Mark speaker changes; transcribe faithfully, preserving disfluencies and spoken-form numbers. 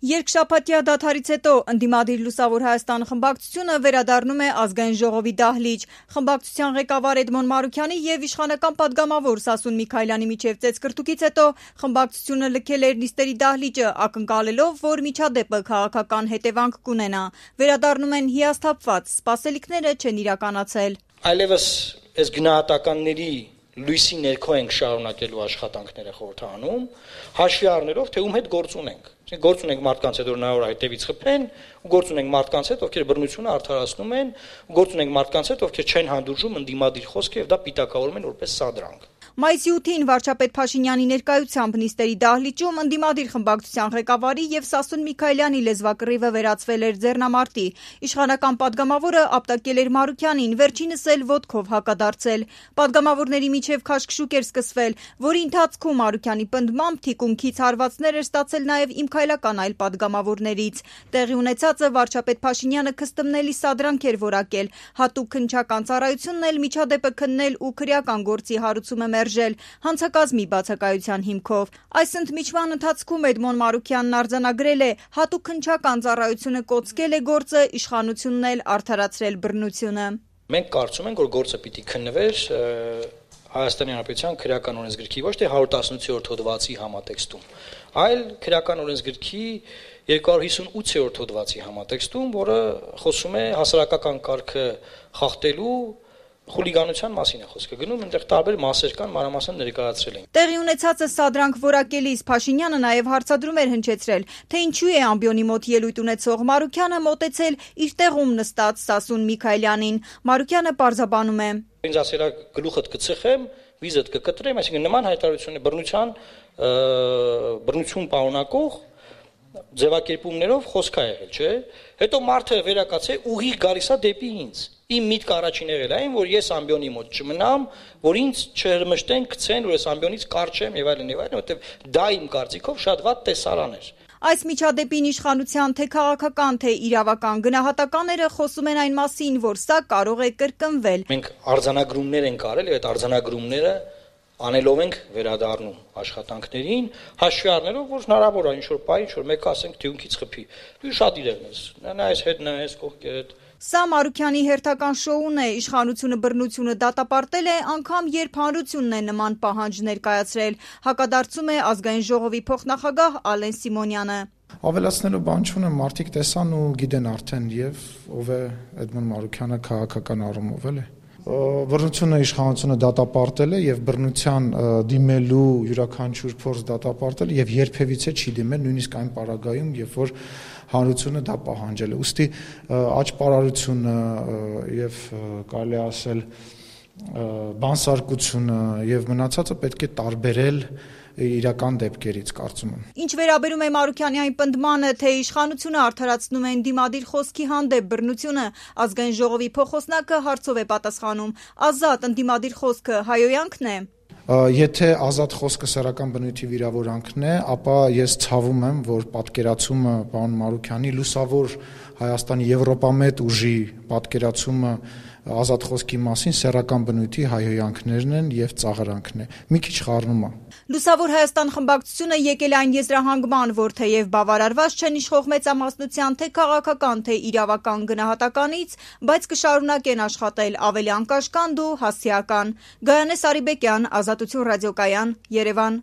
Speaker 1: Երկշաբաթյա դադարից հետո ընդդիմադիր Լուսավոր Հայաստան խմբակցությունը վերադառնում է Ազգային ժողովի դահլիճ։ Խմբակցության ղեկավար Էդմոն Մարուքյանի եւ իշխանական падգամավոր Սասուն Միքայելյանի միջև ծեծկրտուկից հետո խմբակցությունը լքել էր նիստերի դահլիճը, ակնկալելով, որ միջադեպը քաղաքական հետևանք կունենա։ Վերադառնում են հիասթափված, սպասելիքները չեն իրականացել։
Speaker 2: Այլևս այս գնահատականների լույսի ներքո ենք շարունակելու աշխատանքները խորհրդանում, հաշվի առնելով, թե ում հետ գործ ունենք։ Գործ ունենք մարդկանց հետ, որ նայոր հետևից խփեն, ու գործ ունենք մարդկանց հետ, ովքեր բռնությունը արդարացնում են, ու գործ ունենք մարդկանց հետ, ովքեր չեն հանդուրժում ընդդիմադիր խոսքը եւ դա պիտակավորում են որպես սադրանք։
Speaker 1: Մայիսի ութին վարչապետ Փաշինյանի ներկայությամբ նիստերի դահլիճում ընդդիմադիր խմբակցության ղեկավարի եւ Սասուն Միքայելյանի լեզվակռիվը վերածվել էր ձեռնամարտի։ Իշխանական падգամավորը ապտակել էր Մարուքյանին, վերջինս էլ ոտքով հակադարձել։ Падգամավորների միջև քաշքշուկ էր սկսվել, որի ընթացքում Մարուքյանի պնդմամբ թիկունքից հարվածներ էր ստացել նաեւ իմքայլական այլ падգամավորներից։ Տեղի ունեցածը վարչապետ Փաշինյանը քստմնելի սադրանք էր որակել, հատուկ քննչական ծառայությունն էլ միջադեպը քննել ու քրեական գործի հարուցումը մերժել հանցակազմի բացակայության հիմքով։ Այս ընդմիջման ընթացքում Էդմոն Մարուքյանն արձանագրել է, հատուկ քննչական ծառայությունը կոծկել է գործը, իշխանությունն էլ արդարացրել բռնությունը։
Speaker 2: Մենք կարծում ենք, որ գործը պիտի քննվեր Հայաստանի Հանրապետության քրեական օրենսգրքի ոչ թե հարյուր տասնութ հոդվածի համատեքստում, այլ քրեական օրենսգրքի երկու հիսուն ութ հոդվածի համատեքստում, որը խոսում է հասարակական կարգը խախտելու խուլիգանության մասին է խոսքը գնում, այնտեղ տարբեր մասեր կան, մանրամասն ներկայացրել են։
Speaker 1: Տեղի ունեցածը սադրանք որակելիս Փաշինյանը նաև հարցադրում էր հնչեցրել, թե ինչու է ամբիոնի մոտ ելույթ ունեցող Մարուքյանը մոտեցել իր տեղում նստած Սասուն Միքայելյանին։ Մարուքյանը պարզաբանում է.
Speaker 2: Ինձ ասել է գլուխդ կծխեմ, վիզդ կկտրեմ, այսինքն նման հայտարարություն է բռնության բռնություն պարունակող ձևակերպումներով խոսք է եղել, չէ՞։ Հետո մարդը վերակացե ուղիղ գալիս է դեպի ինձ։ Իմ միտքը առաջին եղել է այն, որ ես ամբիոնի մոտ չմնամ, որ ինձ չհրմշտեն, գցեն, որ ես ամբիոնից կարճ եմ եւ այլն եւ այլն, որովհետեւ դա իմ կարծիքով շատ վատ տեսարան էր։
Speaker 1: Այս միջադեպին իշխանության թե քաղաքական, թե իրավական գնահատականները խոսում են այն մասին, որ սա կարող է կրկնվել։
Speaker 2: Մենք արձանագրումներ ենք արել եւ այդ արձանագրումները անելով ենք վերադառնում աշխատանքներին, հաշվի առնելով, որ հնարավոր է ինչ-որ բայ, ինչ-որ մեկը ասենք թյունքից խփի։ Դու շատ իրեղն ես։ Նա այս հետ, նա այս կողքերդ։
Speaker 1: Սա Մարուքյանի հերթական շոուն է, իշխանությունը բռնությունը դատապարտել է, անգամ երբ հանրությունն է նման պահանջ ներկայացրել, հակադարձում է Ազգային ժողովի փոխնախագահ Ալեն Սիմոնյանը։
Speaker 3: Ավելացնելու բան չունեմ, մարդիկ տեսան ու գիտեն արդեն եւ ով է Էդմոն Մարուքյանը քաղաքական առումով էլ է։ Բռնությունը իշխանությունը դատապարտել է եւ բռնության դիմելու յուրաքանչյուր փորձ դատապարտել եւ երբևիցե չի դիմել նույնիսկ այն պարագայում, երբ որ հանրությունը դա պահանջել է։ Ուստի աճպարարությունը եւ կարելի ասել բանսարկությունը եւ մնացածը պետք է տարբերել իրական դեպքերից, կարծում եմ։
Speaker 1: Ինչ վերաբերում է Մարուքյանի այն պնդմանը, թե իշխանությունը արդարացնում է ընդդիմադիր խոսքի հանդեպ բռնությունը, Ազգային ժողովի փոխոսնակը հարցով է պատասխանում. ազատ ընդդիմադիր խոսքը հայոյանքն է։
Speaker 3: Եթե ազատ խոսքը սեռական բնույթի վիրավորանքն է, ապա ես ցավում եմ, որ պատկերացումը պարոն Մարուքյանի լուսավոր Հայաստանի եվրոպամետ ուժի պատկերացումը ազատ խոսքի մասին սեռական բնույթի հայհոյանքներն են եւ ծաղրանքն է։ Մի քիչ խառնում է։
Speaker 1: Լուսավոր Հայաստան խմբակցությունը եկել է այն եզրահանգման, որ թեև բավարարված չեն իշխող մեծամասնության թե քաղաքական, թե իրավական գնահատականից, բայց կշարունակեն աշխատել ավելի անկաշկանդ ու հասցեական։ Գայանե Սարիբեկյան, Ազատություն ռադիոկայան, Երևան։